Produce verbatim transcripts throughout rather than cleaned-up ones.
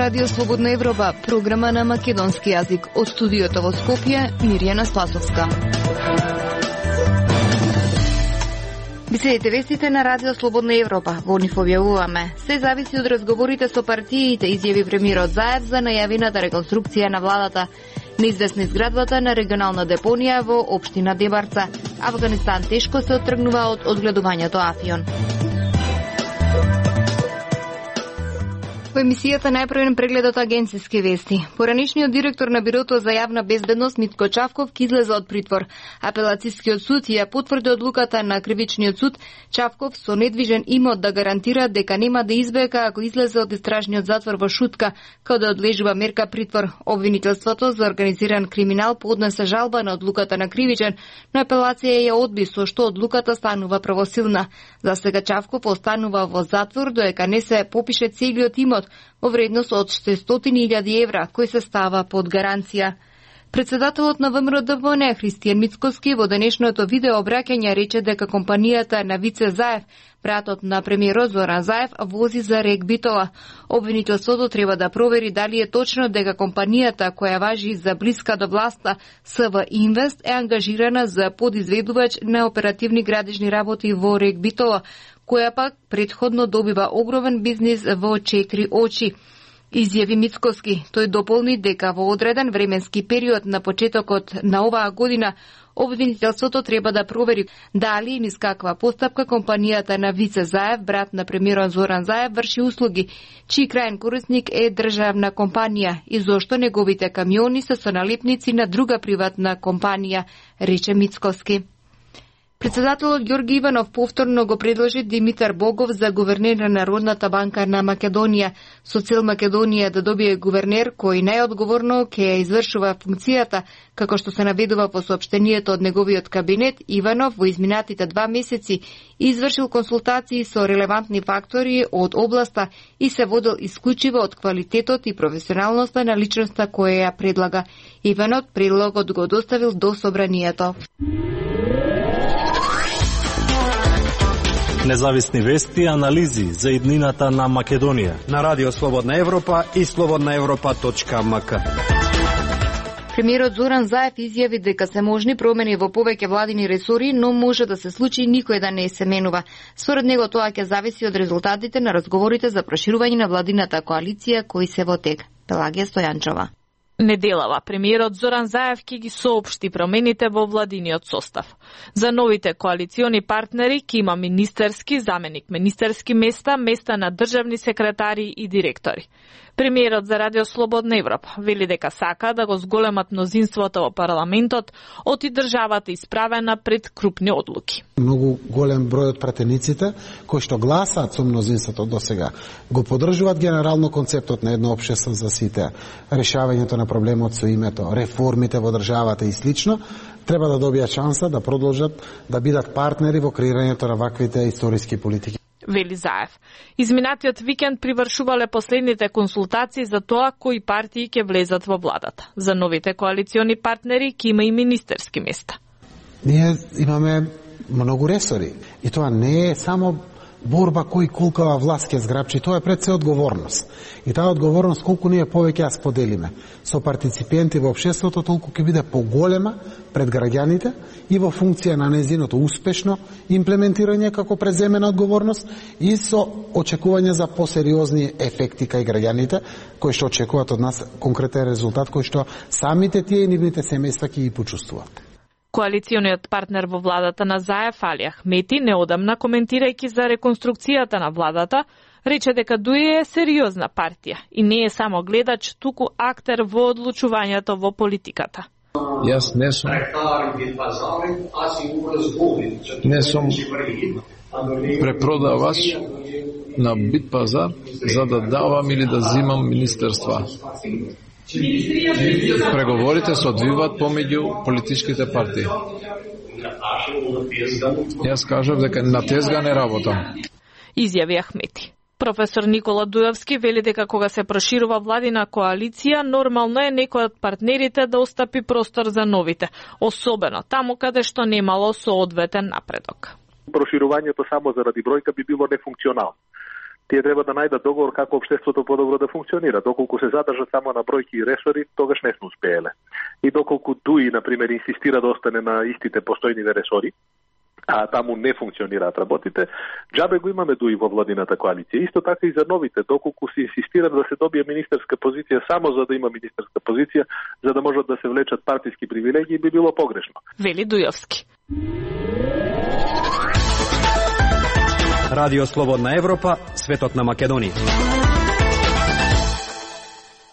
Радио Слободна Европа, програма на македонски јазик. Од студиото во Скопје, Мирјана Спасовска. Би следите вестите на Радио Слободна Европа. Во нив објавуваме: се зависи од разговорите со партиите, изјави премиерот Заев за најавената реконструкција на владата. Неизвестна изградбата на регионална депонија во општина Дебарца. Афганистан тешко се оттргнува од одгледувањето афион. Во емисијата најпрвен преглед од агенциски вести. Поранишниот директор на Бирото за јавна безбедност Митко Чавков ки излезе од притвор. Апелацискиот суд ја потврди одлуката на кривичниот суд Чавков со недвижен имот да гарантира дека нема да избега ако излезе од истражниот затвор во Шутка, каде да одлежува мерка притвор. Обвинителството за организиран криминал поднесе жалба на одлуката на кривичен, но апелација ја одби, со што одлуката станува правосилна. За сега Чавков останува во затвор додека не се попише целиот имот во вредност од шестстотини илјади евра, кој се става под гаранција. Председателот на ВМРО-ДПМНЕ Христијан Мицкоски во денешното видео обраќање рече дека компанијата на Вице Заев, братот на премиерот Зоран Заев, вози за Рек Битола. Обвинителството треба да провери дали е точно дека компанијата која важи за блиска до власта СВ Инвест е ангажирана за подизведувач на оперативни градежни работи во Рек Битола, која пак предходно добива огромен бизнис во четири очи. Изјави Мицкоски. Тој дополни дека во одреден временски период на почетокот на оваа година обвинителството треба да провери дали и низ каква постапка компанијата на Вице Заев, брат на премиерот Зоран Заев, врши услуги, чиј крајен корисник е државна компанија и зошто неговите камиони се со налепници на друга приватна компанија, рече Мицкоски. Председателот Ѓорги Иванов повторно го предложи Димитар Богов за гувернер на Народната банка на Македонија, со цел Македонија да добие гувернер кој најодговорно ќе ја извршува функцијата, како што се наведува во соопштението од неговиот кабинет. Иванов во изминатите два месеци извршил консултации со релевантни фактори од областа и се водел исклучиво од квалитетот и професионалноста на личноста која ја предлага. Иванов предлогот го доставил до собранието. Независни вести и анализи за иднината на Македонија на Радио Слободна Европа и слободна европа точка ем ка. Премиерот Зоран Заев изјави дека се можни промени во повеќе владини ресори, но може да се случи никој да не се менува. Според него тоа ќе зависи од резултатите на разговорите за проширување на владината коалиција кои се во тек. Пелагија Стојанчова. Неделава премиерот Зоран Заев ќе ги соопшти промените во владиниот состав. За новите коалициони партнери ќе има министерски, заменик министерски места, места на државни секретари и директори. Премиерот за Радио Слободна Европа вели дека сака да го зголемат мнозинството во парламентот, оти државата исправена пред крупни одлуки. Многу голем број од пратениците кои што гласаат со мнозинството досега го поддржуваат генерално концептот на едно општество за сите, решавањето на проблемот со името, реформите во државата и слично, треба да добијат шанса да продолжат да бидат партнери во креирањето на ваквите историски политики. Вели Заев. Изминатиот викенд привршувале последните консултации за тоа кои партии ќе влезат во владата. За новите коалициони партнери ќе има и министерски места. Ние имаме многу ресори и тоа не е само борба кој колкава власт ќе зграбчи, тоа е пред се одговорност. И таа одговорност колку ние повеќе ја споделиме со партиципенти во општеството, толку ќе биде поголема пред граѓаните и во функција на нејзиното успешно имплементирање како преземена одговорност и со очекување за посериозни ефекти кај граѓаните кои што очекуваат од нас конкретен резултат кој што самите тие и нивните семејства ќе ги почувствуваат. Коалициониот партнер во владата на Заев, Али Ахмети, неодамна коментирајќи за реконструкцијата на владата, рече дека ДУИ е сериозна партија и не е само гледач, туку актер во одлучувањето во политиката. Јас не сум не сум препродавач на бит пазар за да давам или да зимам министерства. Преговорите се одвиваат помеѓу политичките партии. Јас кажав дека на тезга не работам. Изјави Ахмети. Професор Никола Дуевски вели дека кога се проширува владина коалиција, нормално е некој од партнерите да остапи простор за новите, особено таму каде што немало соодветен напредок. Проширувањето само заради бројка би било нефункционално. Тие треба да најдат договор како општеството подобро да функционира. Доколку се задржат само на бројки и ресори, тогаш не сме успееле. И доколку ДУИ, например, инсистира да остане на истите постојниве ресори, а таму не функционираат работите, џабе го имаме ДУИ во владината коалиција. Исто така и за новите, доколку се инсистира да се добие министерска позиција само за да има министерска позиција, за да можат да се влечат партиски привилегии, би било погрешно. Вели Дујовски. Радио Слободна Европа, светот на Македонија.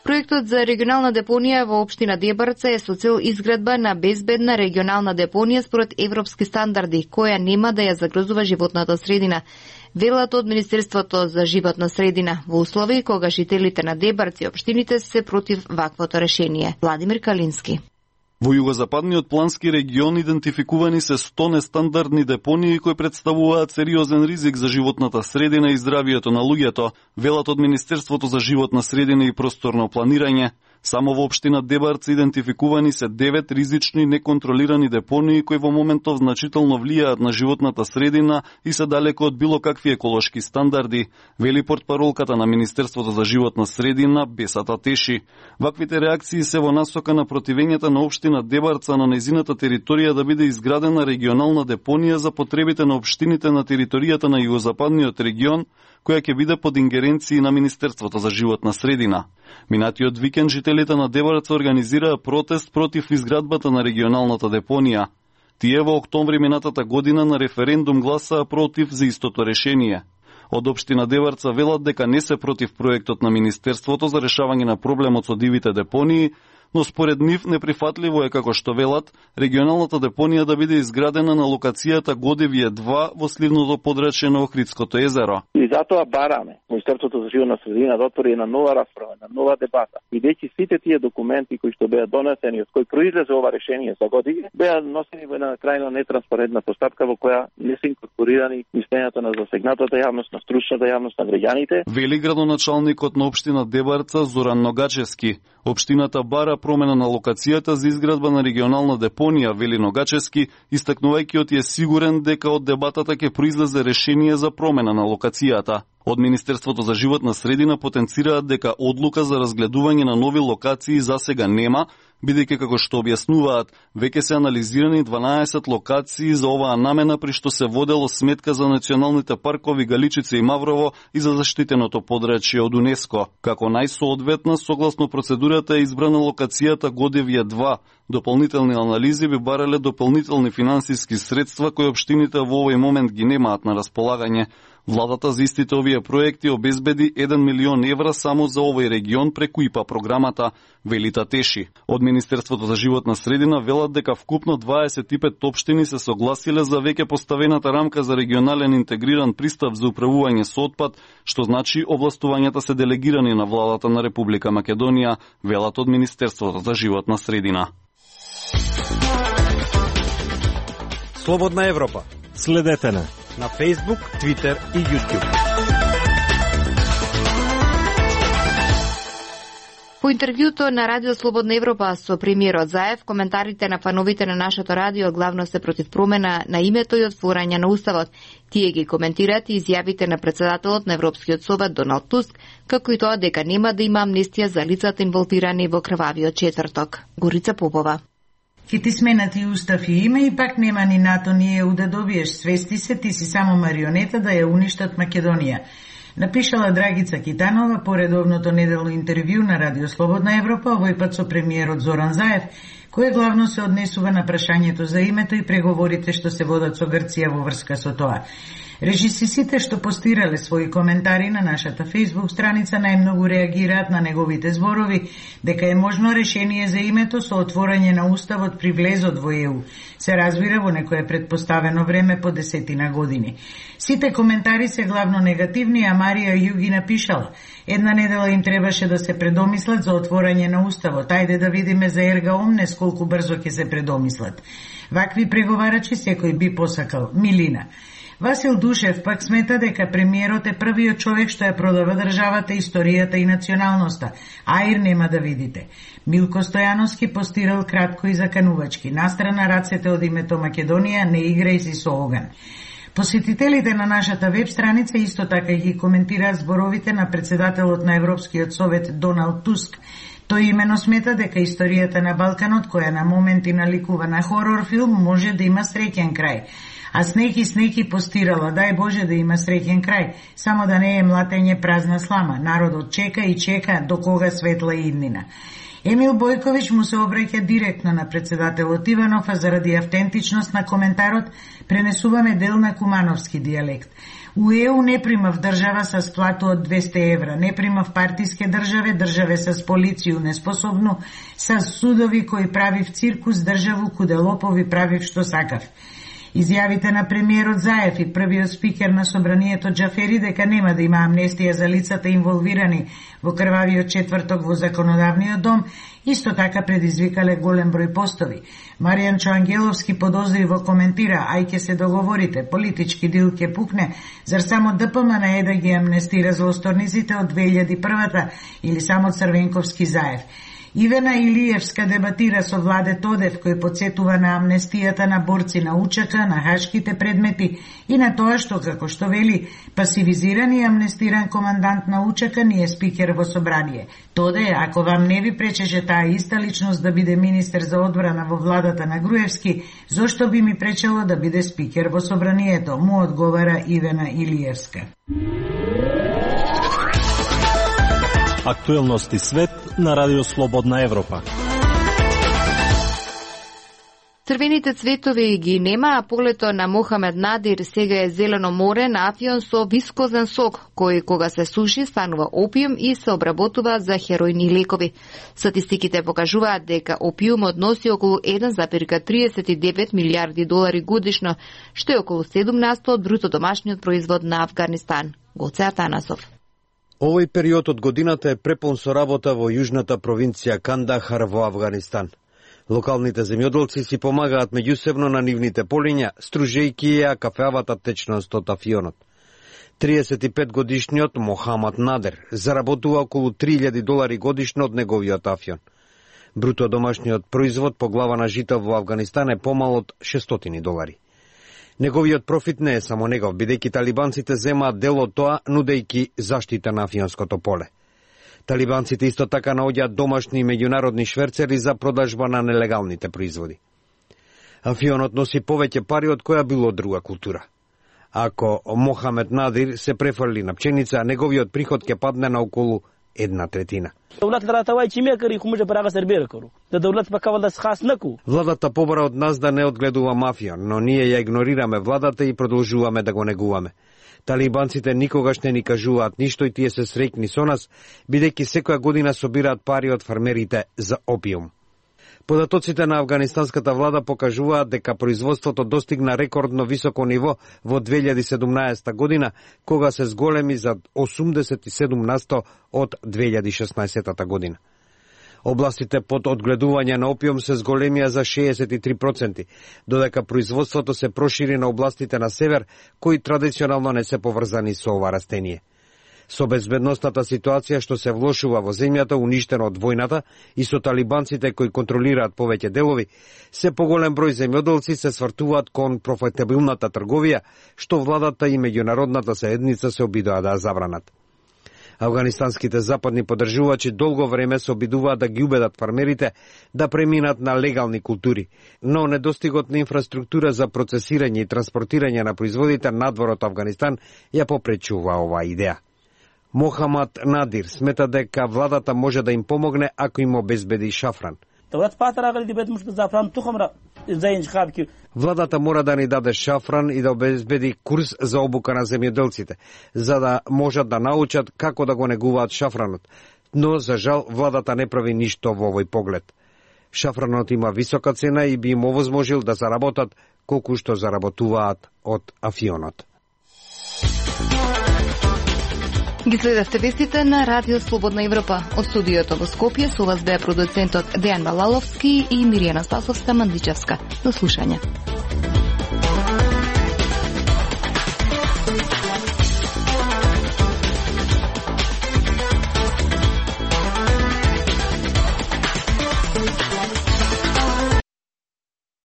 Проектот за регионална депонија во општина Дебарца е со цел изградба на безбедна регионална депонија според европски стандарди, која нема да ја загрозува животната средина. Велат од Министерството за животна средина во услови кога жителите на Дебарци и општините се против ваквото решение. Владимир Калински. Во југозападниот плански регион идентификувани се сто нестандардни депонии кои представуваат сериозен ризик за животната средина и здравието на луѓето, велат од Министерството за животна средина и просторно планирање. Само во општина Дебарци идентификувани се девет ризични неконтролирани депонии кои во моментов значително влијаат на животната средина и се далеко од било какви еколошки стандарди, вели портпаролката на Министерството за животна средина Бесата Теши. Ваквите реакции се во насока на противењата на општина Дебарца на нејзината територија да биде изградена регионална депонија за потребите на општините на територијата на југозападниот регион, која ќе биде под ингеренции на Министерството за животна средина. Минатиот викенд жителите на Дебарца организираа протест против изградбата на регионалната депонија. Тие во октомври минатата година на референдум гласаа против за истото решение. Од општина Дебарца велат дека не се против проектот на Министерството за решавање на проблемот со дивите депонии, но според нив неприфатливо е, како што велат, регионалната депонија да биде изградена на локацијата Годевје два во сливното подрачје на Охридското езеро. И затоа бараме Министерството за животна средина да отвори една нова расправа, една нова дебата. И веќе сите тие документи кои што беа донесени, од кои произлезе ова решение за години, беа носени во една крајно нетранспарентна постапка во која не се инкорпорирани мислењата на засегнатата јавност, на стручната јавност, на граѓаните. Вели градоначалникот на општина Дебарца Зоран Ногачевски. Општината бара промена на локацијата за изградба на регионална депонија, вели Ногачевски, истакнувајќи од е сигурен дека од дебатата ќе произлезе решение за промена на локацијата. Од Министерството за животна средина потенцираат дека одлука за разгледување на нови локации засега нема, бидејќи како што објаснуваат, веќе се анализирани дванаесет локации за оваа намена, при што се водело сметка за националните паркови Галичица и Маврово и за заштитеното подрачје од УНЕСКО. Како најсоодветна, согласно процедурата е избрана локацијата Годевје два. Дополнителни анализи би барале дополнителни финансиски средства кои општините во овој момент ги немаат на располагање. Владата за истите овие проекти обезбеди еден милион евра само за овој регион преку ИПА програмата, велита Теши. Од Министерството за животна средина велат дека вкупно дваесет и пет општини се согласиле за веќе поставената рамка за регионален интегриран пристап за управување со отпад, што значи овластувањата се делегирани на владата на Република Македонија, велат од Министерството за животна средина. Слободна Европа. Следете на на Facebook, Twitter и YouTube. По интервјуто на Радио Слободна Европа со премиерот Заев, коментарите на фановите на нашето радио главно се против промена на името и отворање на Уставот. Тие ги коментираат и изјавите на председателот на Европскиот совет Доналд Туск, како и тоа дека нема да има амнестија за лицата инволвирани во крвавиот четврток. Горица Попова. Ке ти сменати устав и име и пак нема ни НАТО ни Е У да добиеш. Свести се, ти си само марионета да ја уништат Македонија. Напишала Драгица Китанова по редовното неделно интервју на Радио Слободна Европа, овој пат со премиерот Зоран Заев, кој главно се однесува на прашањето за името и преговорите што се водат со Грција во врска со тоа. Режисисите што постирале своји коментари на нашата Facebook страница најмногу реагираат на неговите зборови дека е можно решение за името со отворање на Уставот при влезот во Е У. Се разбира во некое предпоставено време по десетина години. Сите коментари се главно негативни, а Марија Југи напишала: една недела им требаше да се предомислат за отворање на Уставот. Ајде да видиме за Ерга Омнес колку брзо ќе се предомислат. Вакви преговарачи секој би посакал. Милина. Васил Душев пак смета дека премиерот е првиот човек што ја продава државата, историјата и националноста. Аир нема да видите. Милко Стојановски постирал кратко и заканувачки. Настрана рацете од името Македонија, не играј си со оган. Посетителите на нашата веб страница исто така ги коментираат зборовите на председателот на Европскиот совет Доналд Туск. Тој имено смета дека историјата на Балканот, која на моменти наликува на хорор филм, може да има среќен крај. А снеки снеки постирала, дај Боже да има среќен крај, само да не е млатење празна слама. Народот чека и чека до кога светла иднина. Емил Бојковиќ му се обраќа директно на председателот Иванов, а заради автентичност на коментарот пренесуваме дел на кумановски дијалект. У Е У не примав држава со сплату од двесте евра, не примав партиске државе, државе со полицију неспособну, со судови кои правив циркус, државу куде лопови правив што сакав. Изјавите на премиерот Заев и првиот спикер на собранието Џафери дека нема да има амнестија за лицата инволвирани во крвавиот четврток во законодавниот дом, исто така предизвикале голем број постови. Маријан Чоангеловски подозриво коментира: ај ке се договорите, политички дил ке пукне, зар само Д П М Н е да ги амнестира злосторниците од две илјади и прва или само Црвенковски Заев? Ивена Илиевска дебатира со Владе Тодев, кој подсетува на амнестијата на борци на У Ч К, на хашките предмети и на тоа што, како што вели, пасивизиран и амнестиран командант на У Ч К ни е спикер во собрание. Тоде, ако вам не ви пречеше таа иста личност да биде министер за одбрана во владата на Груевски, зошто би ми пречело да биде спикер во собранието, му одговара Ивена Илиевска. Актуелности свет на Радио Слободна Европа. Црвените цветови ги нема, а полето на Мохамед Надир сега е зелено море на афион со вискозен сок, кој кога се суши станува опиум и се обработува за херојни лекови. Статистиките покажуваат дека опиумот носи околу еден зарез триесет и девет милиарди долари годишно, што е околу седумнаесет од бруто домашниот производ на Авганистан. Гоце Атанасов. Овој период од годината е препон со работа во јужната провинција Кандахар во Авганистан. Локалните земјоделци си помагаат меѓусебно на нивните полиња, стружејќи ја кафеавата течност од афионот. триесет и пет годишниот Мохамед Надир заработува околу три илјади долари годишно од неговиот афион. Бруто домашниот производ по глава на жито во Авганистан е помал од шестстотини долари. Неговиот профит не е само негов, бидејќи талибанците земаат дел од тоа, нудејќи заштита на афионското поле. Талибанците исто така наоѓаат домашни и меѓународни шверцери за продажба на нелегалните производи. Афионот носи повеќе пари од која било друга култура. Ако Мохамед Надир се префрли на пченица, неговиот приход ќе падне на околу една третина. Владата побара од нас да не одгледува мафија, но ние ја игнорираме владата и продолжуваме да го негуваме. Талибанците никогаш не ни кажуваат ништо и тие се среќни со нас, бидејќи секоја година собираат пари од фармерите за опиум. Податоците на афганистанската влада покажуваат дека производството достигна рекордно високо ниво во две илјади и седумнаесета година, кога се зголеми за осумдесет и седум насто од две илјади и шеснаесета година. Областите под одгледување на опиум се зголемија за шеесет и три проценти, додека производството се прошири на областите на север, кои традиционално не се поврзани со ова растение. Со безбедностната ситуација што се влошува во земјата, уништена од војната, и со талибанците кои контролираат повеќе делови, се поголем број земјоделци се свртуваат кон профитабилната трговија, што владата и меѓународната заедница се обидоа да забранат. Афганистанските западни поддржувачи долго време се обидуваат да ги убедат фармерите да преминат на легални култури, но недостигот на инфраструктура за процесирање и транспортирање на производите надвор од Афганистан ја попречува оваа идеја. Мохамед Надир смета дека владата може да им помогне ако им обезбеди шафран. Владата мора да ни даде шафран и да обезбеди курс за обука на земјоделците, за да можат да научат како да го негуваат шафранот. Но, за жал, владата не прави ништо во овој поглед. Шафранот има висока цена и би им овозможил да заработат колку што заработуваат од афионот. Ги следевте вестите на Радио Слободна Европа. Од студиото во Скопје со вас беа продуцентот Дејан Балаловски и Миријана Спасовска Мандичевска. До слушање.